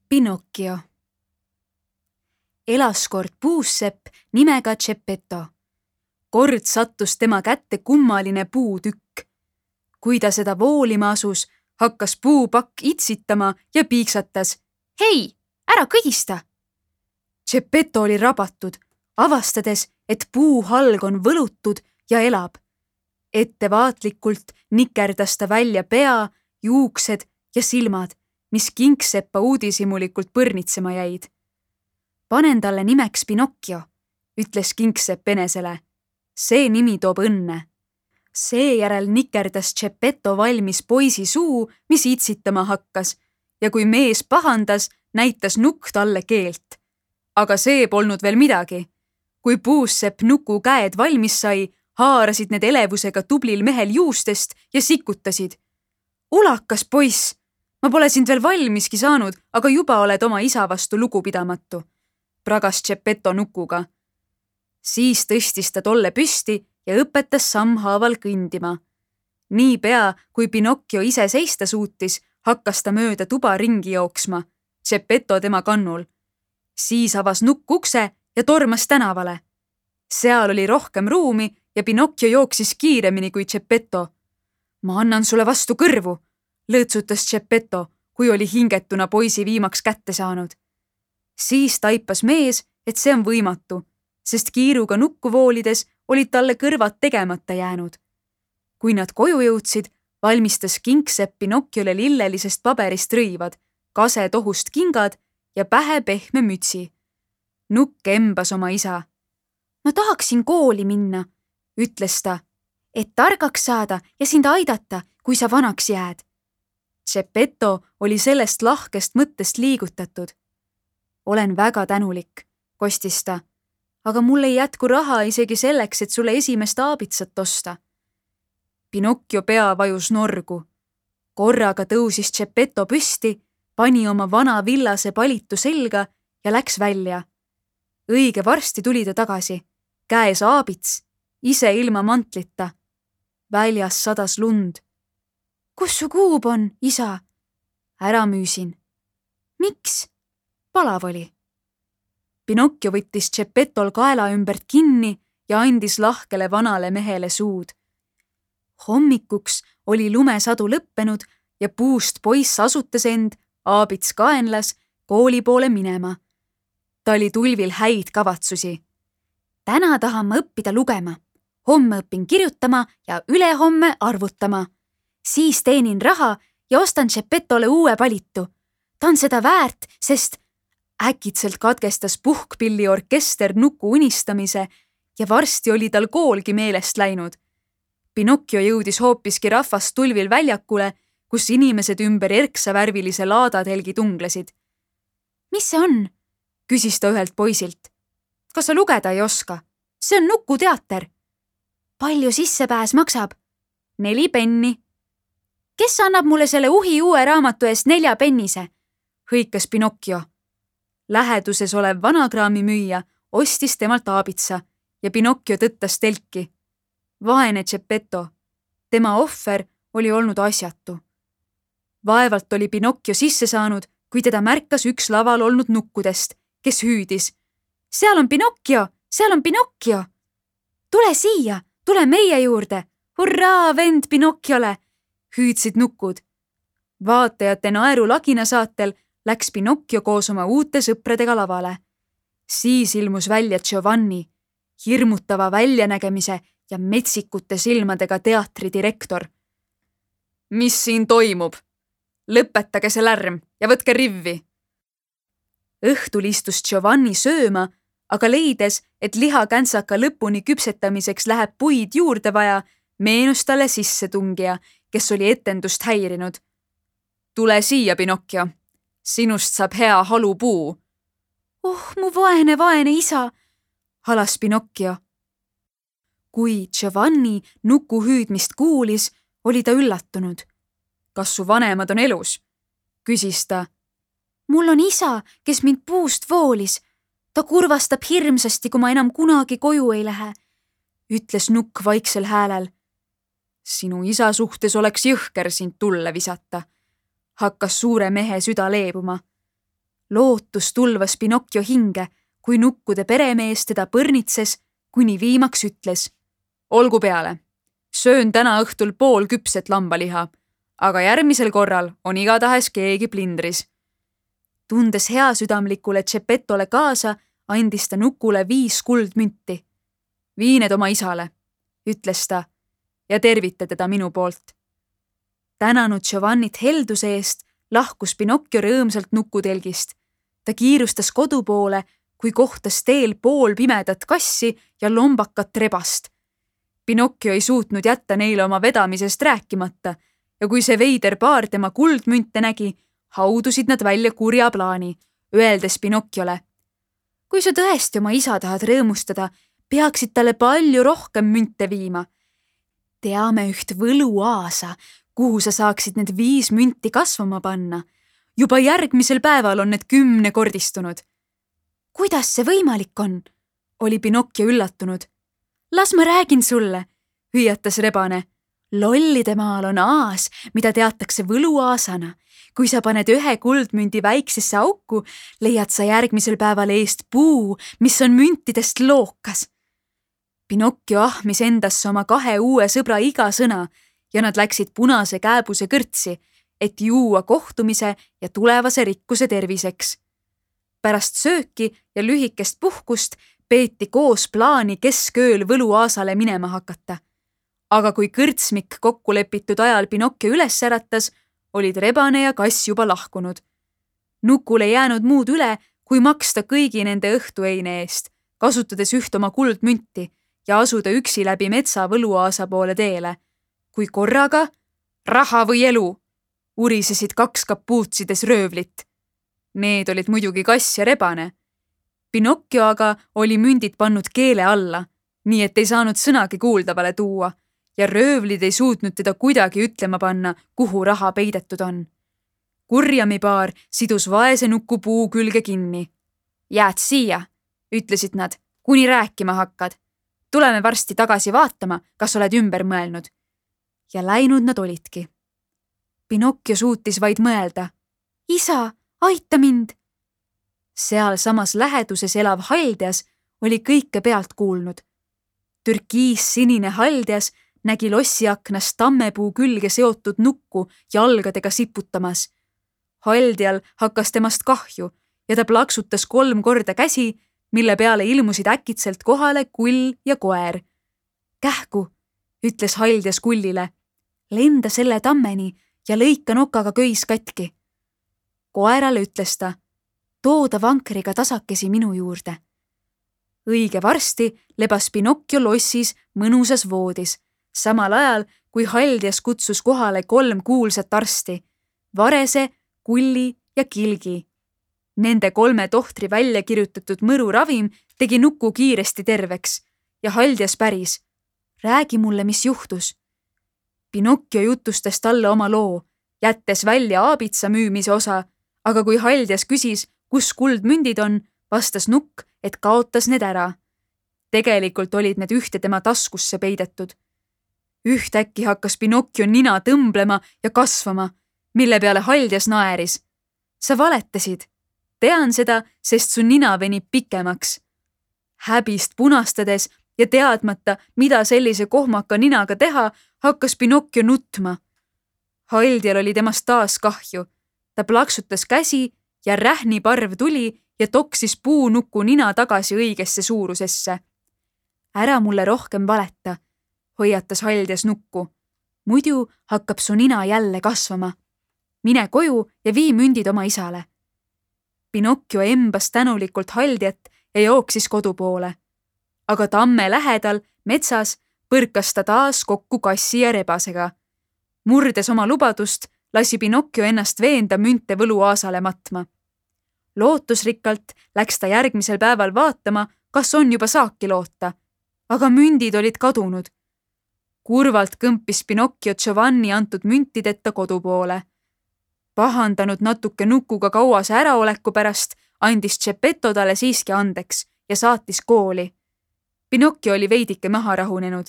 Pinocchio. Elas kord puussepp nimega Geppetto. Kord sattus tema kätte kummaline puutükk. Kui ta seda voolima asus, hakkas puupakk itsitama ja piiksatas. Hei, ära kõdista! Geppetto oli rabatud, avastades, et puuhalg on võlutud ja elab. Ettevaatlikult nikerdas ta välja pea, juuksed ja silmad, mis Kingseppa uudishimulikult põrnitsema jäid. Panen talle nimeks Pinocchio, ütles Kingsepp enesele. See nimi toob õnne. Seejärel nikerdas Geppetto valmis poisi suu, mis itsitama hakkas, ja kui mees pahandas, näitas nukk talle keelt. Aga see polnud veel midagi. Kui puussepp nuku käed valmis sai, haarasid need elevusega tublil mehel juustest ja sikutasid. Ulakas poiss! Ma pole sind veel valmiski saanud, aga juba oled oma isa vastu lugupidamatu, pragas Geppetto nukuga. Siis tõstis ta tolle püsti ja õpetas sammhaaval kõndima. Niipea, kui Pinocchio ise seista suutis, hakkas ta mööda tuba ringi jooksma, Geppetto tema kannul. Siis avas nukk ukse ja tormas tänavale. Seal oli rohkem ruumi ja Pinocchio jooksis kiiremini kui Geppetto. Ma annan sulle vastu kõrvu, lõõtsutas Geppetto, kui oli hingetuna poisi viimaks kätte saanud. Siis taipas mees, et see on võimatu, sest kiiruga nukku voolides olid talle kõrvad tegemata jäänud. Kui nad koju jõudsid, valmistas Kingsepp Pinocchiole lillelisest paberist rõivad, kase tohust kingad ja pähe pehme mütsi. Nukk embas oma isa. Ma tahaksin kooli minna, ütles ta, et targaks saada ja sind aidata, kui sa vanaks jääd. Geppetto oli sellest lahkest mõttest liigutatud. Olen väga tänulik, kostis ta, aga mul ei jätku raha isegi selleks, et sulle esimest aabitsat osta. Pinocchio pea vajus norgu. Korraga tõusis Geppetto püsti, pani oma vana villase palitu selga ja läks välja. Õige varsti tuli ta tagasi, käes aabits, ise ilma mantlita. Väljas sadas lund. Kus su kuub on, isa? Ära müüsin. Miks? Palav oli. Pinocchio võttis Geppetol kaela ümbert kinni ja andis lahkele vanale mehele suud. Hommikuks oli lumesadu lõppenud ja puust poiss asutas end, aabits kaenlas, kooli poole minema. Ta oli tulvil häid kavatsusi. Täna tahan ma õppida lugema. Homme õpin kirjutama ja ülehomme arvutama. Siis teenin raha ja ostan Geppetole uue palitu. Ta on seda väärt, sest äkitselt katkestas puhkpilli orkester nuku unistamise ja varsti oli tal koolgi meelest läinud. Pinocchio jõudis hoopiski rahvast tulvil väljakule, kus inimesed ümber erksavärvilise laadatelgi tunglesid. Mis see on? Küsis ta ühelt poisilt. Kas sa lugeda ei oska? See on nukuteater. Palju sissepääs maksab? 4 penni. Kes annab mulle selle uhi uue raamatu eest 4 pennise? Hõikas Pinocchio. Läheduses olev vanakraamimüüja ostis temalt aabitsa ja Pinocchio tõttas telki. Vaene Geppetto. Tema ohver oli olnud asjatu. Vaevalt oli Pinocchio sisse saanud, kui teda märkas üks laval olnud nukkudest, kes hüüdis. Seal on Pinocchio! Seal on Pinocchio! Tule siia! Tule meie juurde! Hurraa, vend Pinocchiole! Hüüdsid nukud. Vaatajate naeru lagina saatel läks Pinocchio koos oma uute sõpradega lavale. Siis ilmus välja Giovanni, hirmutava väljanägemise ja metsikute silmadega teatridirektor. Mis siin toimub? Lõpetage see lärm ja võtke rivvi. Õhtul istus Giovanni sööma, aga leides, et lihakäntsaka lõpuni küpsetamiseks läheb puid juurde vaja, meenus talle sissetungija, kes oli etendust häirinud. Tule siia, Pinocchio. Sinust saab hea halupuu. Mu vaene isa, halas Pinocchio. Kui Giovanni nuku hüüdmist kuulis, oli ta üllatunud. Kas su vanemad on elus? Küsis ta. Mul on isa, kes mind puust voolis. Ta kurvastab hirmsasti, kui ma enam kunagi koju ei lähe, ütles nukk vaiksel häälel. Sinu isa suhtes oleks jõhker sind tulle visata, hakkas suure mehe süda leebuma. lootus tulvas Pinocchio hinge, kui nukkude peremees teda põrnitses, kuni viimaks ütles: olgu peale, söön täna õhtul poolküpset lambaliha, aga järgmisel korral on igatahes keegi plindris. Tundes heasüdamlikule Geppetole kaasa, andis ta nukule 5 kuldmünti. Vii need oma isale, ütles ta, ja tervita teda minu poolt. Tänanud Giovannit helduse eest, lahkus Pinocchio rõõmsalt nukutelgist. Ta kiirustas kodu poole, kui kohtas teel poolpimedat kassi ja lombakat rebast. Pinocchio ei suutnud jätta neile oma vedamisest rääkimata ja kui see veider paar tema kuldmünte nägi, haudusid nad välja kurja plaani, öeldes Pinocchiole: kui sa tõesti oma isa tahad rõõmustada, peaksid talle palju rohkem münte viima. Teame üht võluaasa, kuhu sa saaksid need 5 münti kasvama panna. Juba järgmisel päeval on need 10-kordistunud. Kuidas see võimalik on? Oli Pinocchio üllatunud. Las ma räägin sulle, hüüatas rebane. Lollide maal on aas, mida teatakse võluaasana. Kui sa paned 1 kuldmündi väiksesse auku, leiad sa järgmisel päeval eest puu, mis on müntidest lookas. Pinocchio ahmis endasse oma 2 uue sõbra iga sõna ja nad läksid punase kääbuse kõrtsi, et juua kohtumise ja tulevase rikkuse terviseks. Pärast sööki ja lühikest puhkust peeti koos plaani keskööl võluaasale minema hakata. Aga kui kõrtsmik kokku lepitud ajal Pinocchio üles äratas, olid rebane ja kass juba lahkunud. Nukul ei jäänud muud üle, kui maksta kõigi nende õhtueine eest, kasutades 1 oma kuldmünti ja asuda üksi läbi metsa võluaasa poole teele. Kui korraga, raha või elu, urisesid 2 kapuutsides röövlit. Need olid muidugi kass ja rebane. Pinocchio aga oli mündid pannud keele alla, nii et ei saanud sõnagi kuuldavale tuua ja röövlid ei suutnud teda kuidagi ütlema panna, kuhu raha peidetud on. Kurjamipaar sidus vaese nuku puu külge kinni. Jääd siia, ütlesid nad, kuni rääkima hakkad. Tuleme varsti tagasi vaatama, kas oled ümber mõelnud. Ja läinud nad olidki. Pinocchio suutis vaid mõelda. Isa, aita mind! Seal samas läheduses elav Haldias oli kõike pealt kuulnud. Türkiis-sinine Haldias nägi lossiaknast tammepuu külge seotud nukku jalgadega siputamas. Haldial hakkas temast kahju ja ta plaksutas 3 korda käsi, mille peale ilmusid äkitselt kohale kull ja koer. Kähku, ütles Haldias kullile, lenda selle tammeni ja lõika nokaga köis katki. Koerale ütles ta, tooda vankriga tasakesi minu juurde. Õige varsti lebas Pinocchio lossis mõnusas voodis, samal ajal kui Haldias kutsus kohale 3 kuulsat arsti, Varese, Kulli ja Kilgi. Nende 3 tohtri välja kirjutatud mõruravim tegi nuku kiiresti terveks ja Haldias päris. Räägi mulle, mis juhtus. Pinocchio jutustas talle oma loo, jättes välja aabitsa müümise osa, aga kui Haldias küsis, kus kuldmündid on, vastas nukk, et kaotas need ära. Tegelikult olid need ühte tema taskusse peidetud. Ühtäkki hakkas Pinocchio nina tõmblema ja kasvama, mille peale Haldias naeris. Sa valetasid. Tean seda, sest su nina venib pikemaks. Häbist punastades ja teadmata, mida sellise kohmaka ninaga teha, hakkas Pinocchio nutma. Haldial oli temast taas kahju. Ta plaksutas käsi ja rähniparv tuli ja toksis puunuku nina tagasi õigesse suurusesse. Ära mulle rohkem valeta, hoiatas Haldias nukku. Muidu hakkab su nina jälle kasvama. Mine koju ja vii mündid oma isale. Pinocchio embas tänulikult Haldiat ja jooksis kodu poole. Aga tamme lähedal, metsas, põrkas ta taas kokku kassi ja rebasega. Murdes oma lubadust, lasi Pinocchio ennast veenda münte võluaasale matma. Lootusrikkalt läks ta järgmisel päeval vaatama, kas on juba saaki loota, aga mündid olid kadunud. Kurvalt kõmpis Pinocchio Giovanni antud müntideta kodu poole. Pahandanud natuke nukuga kauase äraoleku pärast, andis Geppetto talle siiski andeks ja saatis kooli. Pinocchio oli veidike maha rahunenud,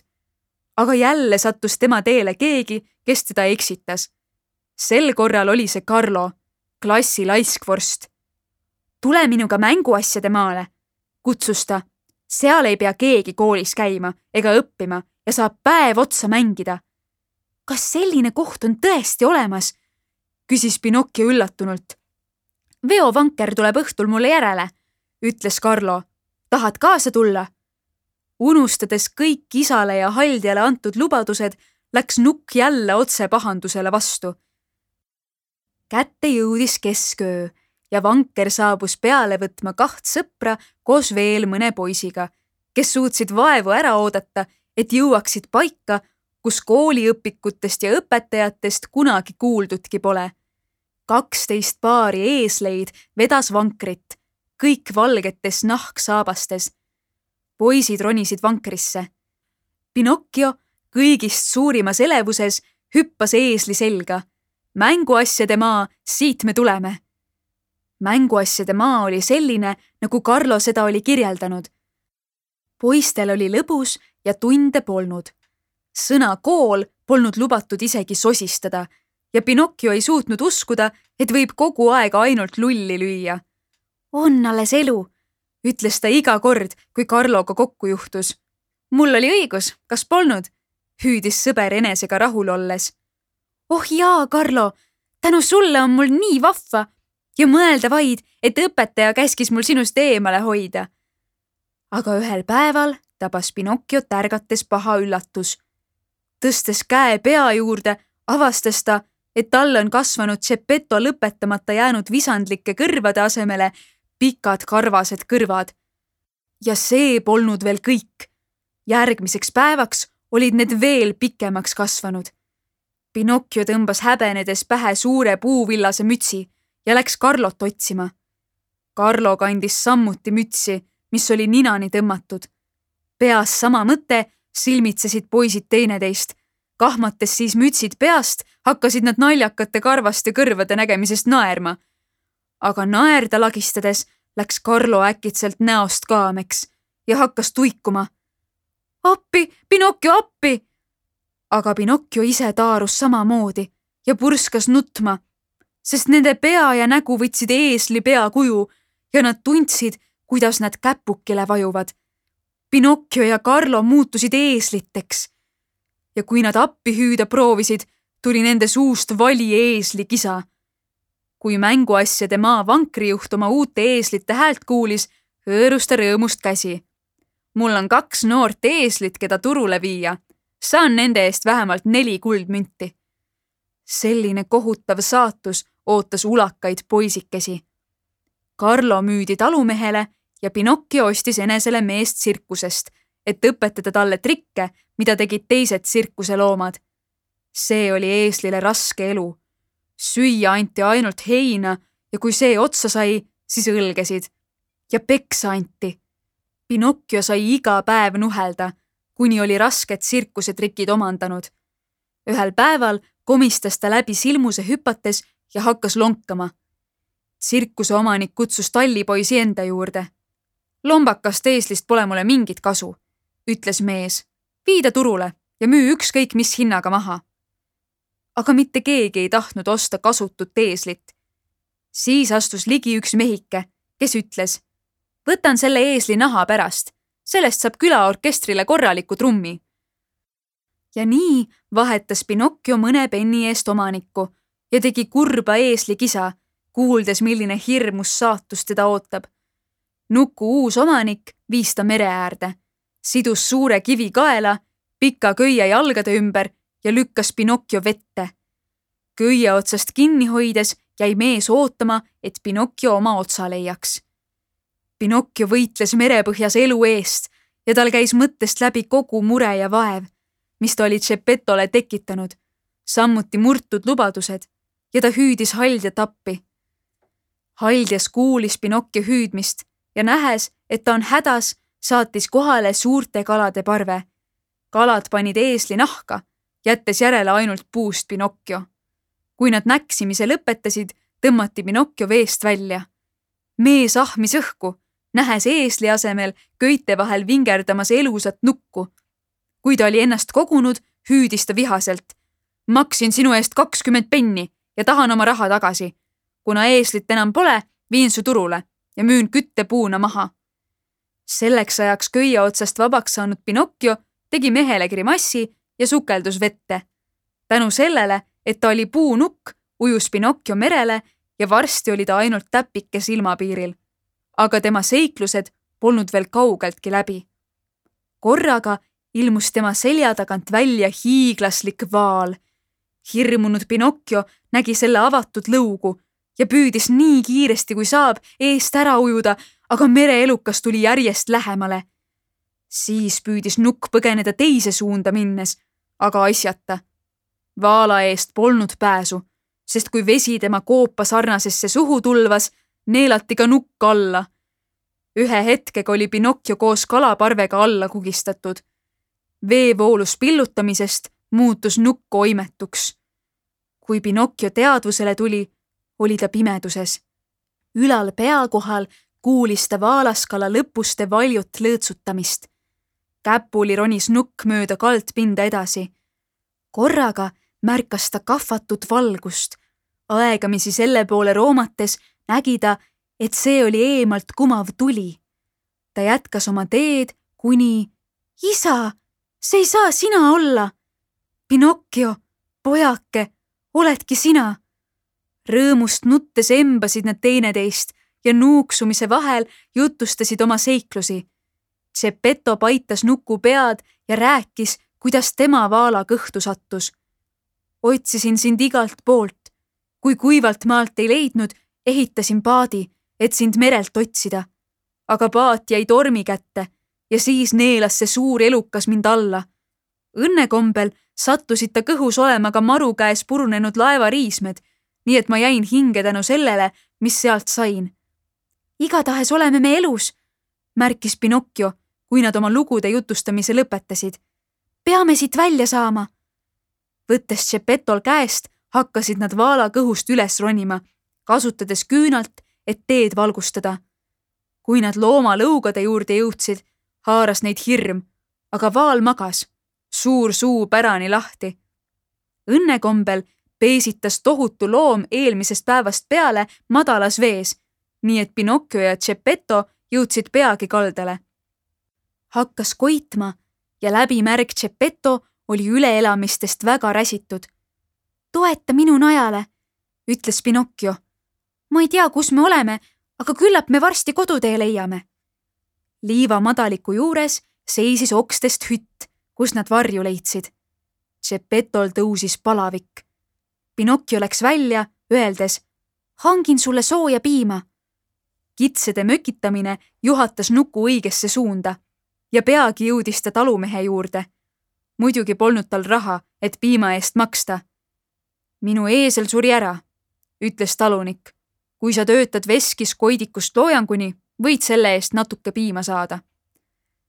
aga jälle sattus tema teele keegi, kes teda eksitas. Sel korral oli see Carlo, klassi laiskvorst. Tule minuga mänguasjade maale, kutsus ta. Seal ei pea keegi koolis käima ega õppima ja saab päev otsa mängida. Kas selline koht on tõesti olemas? Küsis Pinocchio üllatunult. Veovanker tuleb õhtul mulle järele, ütles Carlo. Tahad kaasa tulla? Unustades kõik isale ja haldjale antud lubadused, läks Nukk jälle otse pahandusele vastu. Kätte jõudis kesköö ja vanker saabus peale võtma 2 sõpra koos veel mõne poisiga, kes suutsid vaevu ära oodata, et jõuaksid paika, kus kooliõpikutest ja õpetajatest kunagi kuuldudki pole. 12 paari eesleid vedas vankrit, kõik valgetes nahksaabastes. Poisid ronisid vankrisse. Pinocchio kõigist suurimas elevuses hüppas eesli selga. Mänguasjade maa, siit me tuleme. Mänguasjade maa oli selline, nagu Carlo seda oli kirjeldanud. Poistel oli lõbus ja tunde polnud. Sõna kool polnud lubatud isegi sosistada ja Pinocchio ei suutnud uskuda, et võib kogu aeg ainult lulli lüüa. On alles elu, ütles ta iga kord, kui Carloga kokku juhtus. Mul oli õigus, kas polnud? Hüüdis sõber enesega rahul olles. Oh jaa, Carlo, tänu sulle on mul nii vahva ja mõelda vaid, et õpetaja käskis mul sinust eemale hoida. Aga ühel päeval tabas Pinocchiot ärgates paha üllatus. Tõstes käe pea juurde, avastas ta, et tal on kasvanud Geppetto lõpetamata jäänud visandlike kõrvade asemele pikad karvased kõrvad. Ja see polnud veel kõik. Järgmiseks päevaks olid need veel pikemaks kasvanud. Pinocchio tõmbas häbenedes pähe suure puuvillase mütsi ja läks Carlot otsima. Carlo kandis sammuti mütsi, mis oli ninani tõmmatud. Peas sama mõte, silmitsesid poisid teineteist. Kahmates siis mütsid peast, hakkasid nad naljakate karvaste kõrvade nägemisest naerma. Aga naerda lagistades läks Carlo äkitselt näost kaameks ja hakkas tuikuma. Appi, Pinocchio, appi! Aga Pinocchio ise taarus samamoodi ja purskas nutma, sest nende pea ja nägu võtsid eesli pea kuju ja nad tundsid, kuidas nad käpukile vajuvad. Pinocchio ja Carlo muutusid eesliteks. Ja kui nad appi hüüda proovisid, tuli nende suust vali eesli kisa. Kui mänguasjade maa vankrijuht oma uute eeslite häält kuulis, hõõrus ta rõõmust käsi. Mul on 2 noort eeslit, keda turule viia. Saan nende eest vähemalt 4 kuldmünti. Selline kohutav saatus ootas ulakaid poisikesi. Carlo müüdi talumehele ja Pinocchio ostis enesele meest tsirkusest, et õpetada talle trikke, mida tegid teised tsirkuseloomad. See oli eeslile raske elu. Süüa anti ainult heina ja kui see otsa sai, siis õlgesid. Ja peksa anti. Pinocchio sai iga päev nuhelda, kuni oli rasked tsirkusetrikid omandanud. Ühel päeval komistas ta läbi silmuse hüpates ja hakkas lonkama. Tsirkuse omanik kutsus tallipoisi enda juurde. Lombakast eeslist pole mulle mingit kasu, ütles mees. Viida turule ja müü ükskõik mis hinnaga maha. Aga mitte keegi ei tahtnud osta kasutut eeslit. Siis astus ligi üks mehike, kes ütles, võtan selle eesli naha pärast, sellest saab külaorkestrile korraliku trummi. Ja nii vahetas Pinocchio mõne penni eest omanikku ja tegi kurba eesli kisa, kuuldes, milline hirmus saatus teda ootab. Nuku uus omanik viis ta mere äärde, sidus suure kivi kaela, pika köie jalgade ümber ja lükkas Pinocchio vette. Köie otsast kinni hoides jäi mees ootama, et Pinocchio oma otsa leiaks. Pinocchio võitles merepõhjas elu eest ja tal käis mõttest läbi kogu mure ja vaev, mis ta oli Geppetole tekitanud, samuti murtud lubadused ja ta hüüdis haldjat appi. Haldjas kuulis Pinocchio hüüdmist ja nähes, et ta on hädas, saatis kohale suurte kalade parve. Kalad panid eesli nahka, jättes järele ainult puust Pinocchio. Kui nad näksimise lõpetasid, tõmmati Pinocchio veest välja. Mees ahmis õhku, nähes eesli asemel köite vahel vingerdamas elusat nukku. Kui ta oli ennast kogunud, hüüdis ta vihaselt. Maksin sinu eest 20 penni ja tahan oma raha tagasi. Kuna eeslit enam pole, viin su turule. ja müün küttepuuna maha. Selleks ajaks köie otsast vabaks saanud Pinocchio tegi mehele grimassi ja sukeldus vette. Tänu sellele, et ta oli puunukk, ujus Pinocchio merele ja varsti oli ta ainult täpike silmapiiril. Aga tema seiklused polnud veel kaugeltki läbi. Korraga ilmus tema selja tagant välja hiiglaslik vaal. Hirmunud Pinocchio nägi selle avatud lõugu ja püüdis nii kiiresti kui saab eest ära ujuda, aga mereelukas tuli järjest lähemale. Siis püüdis nukk põgeneda teise suunda minnes, aga asjata. Vaala eest polnud pääsu, sest kui vesi tema koopa sarnasesse suhu tulvas, neelati ka nukk alla. Ühe hetkega oli Pinocchio koos kalaparvega alla kugistatud. Veevoolus pillutamisest muutus nukk oimetuks. Kui Pinocchio teadvusele tuli, oli ta pimeduses. Ülal pea kohal kuulis ta vaalaskala lõpuste valjut lõõtsutamist. Käpuli ronis nukk mööda kaldpinda edasi. Korraga märkas ta kahvatut valgust. Aegamisi selle poole roomates nägi ta, et see oli eemalt kumav tuli. Ta jätkas oma teed, kuni isa, see ei saa sina olla. Pinocchio, pojake, oledki sina. Rõõmust nuttes embasid nad teineteist ja nuuksumise vahel jutustasid oma seiklusi. Geppetto paitas nuku pead ja rääkis, kuidas tema vaala kõhtu sattus. Otsisin sind igalt poolt. Kui kuivalt maalt ei leidnud, ehitasin paadi, et sind merelt otsida. Aga paat jäi tormi kätte ja siis neelas see suur elukas mind alla. Õnnekombel sattusid ta kõhus olema ka maru käes purunenud laevariismed, nii et ma jäin hinge tänu sellele, mis sealt sain. Igatahes oleme me elus, märkis Pinocchio, kui nad oma lugude jutustamise lõpetasid. Peame siit välja saama. Võttes Geppetol käest, hakkasid nad vaala kõhust üles ronima, kasutades küünalt, et teed valgustada. Kui nad looma lõugade juurde jõudsid, haaras neid hirm, aga vaal magas, suur suu pärani lahti. Õnnekombel peesitas tohutu loom eelmisest päevast peale madalas vees, nii et Pinocchio ja Geppetto jõudsid peagi kaldale. Hakkas koitma ja läbimärg Geppetto oli üleelamistest väga räsitud. Toeta minu najale, ütles Pinocchio. Ma ei tea, kus me oleme, aga küllap me varsti kodutee leiame. Liiva madaliku juures seisis okstest hütt, kus nad varju leidsid. Geppetol tõusis palavik. Pinocchio läks välja, öeldes, hangin sulle sooja piima. Kitsede mökitamine juhatas nuku õigesse suunda ja peagi jõudis ta talumehe juurde. Muidugi polnud tal raha, et piima eest maksta. Minu eesel suri ära, ütles talunik. Kui sa töötad veskis koidikust loojanguni, võid selle eest natuke piima saada.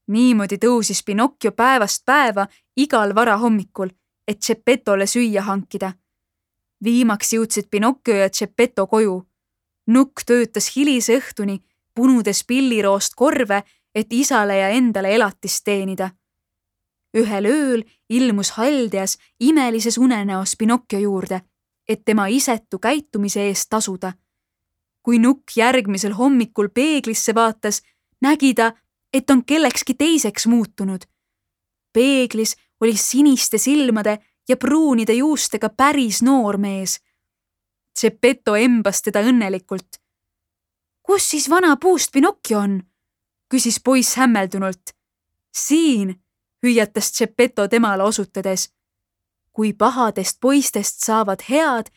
Niimoodi tõusis Pinocchio päevast päeva igal varahommikul, et Geppetole süüa hankida. Viimaks jõudsid Pinocchio ja Geppetto koju. Nukk töötas hilise õhtuni, punudes pilliroost korve, et isale ja endale elatist teenida. Ühel ööl ilmus haldeas imelises unenäos Pinocchio juurde, et tema isetu käitumise eest tasuda. Kui nukk järgmisel hommikul peeglisse vaatas, nägi ta, et on kellekski teiseks muutunud. Peeglis oli siniste silmade ja pruunide juustega päris noor mees. Geppetto embas teda õnnelikult. Kus siis vana puust Pinocchio on? Küsis poiss hämmeldunult. Siin, hüüatas Geppetto temale osutades. Kui pahadest poistest saavad head,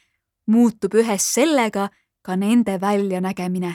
muutub ühes sellega ka nende väljanägemine.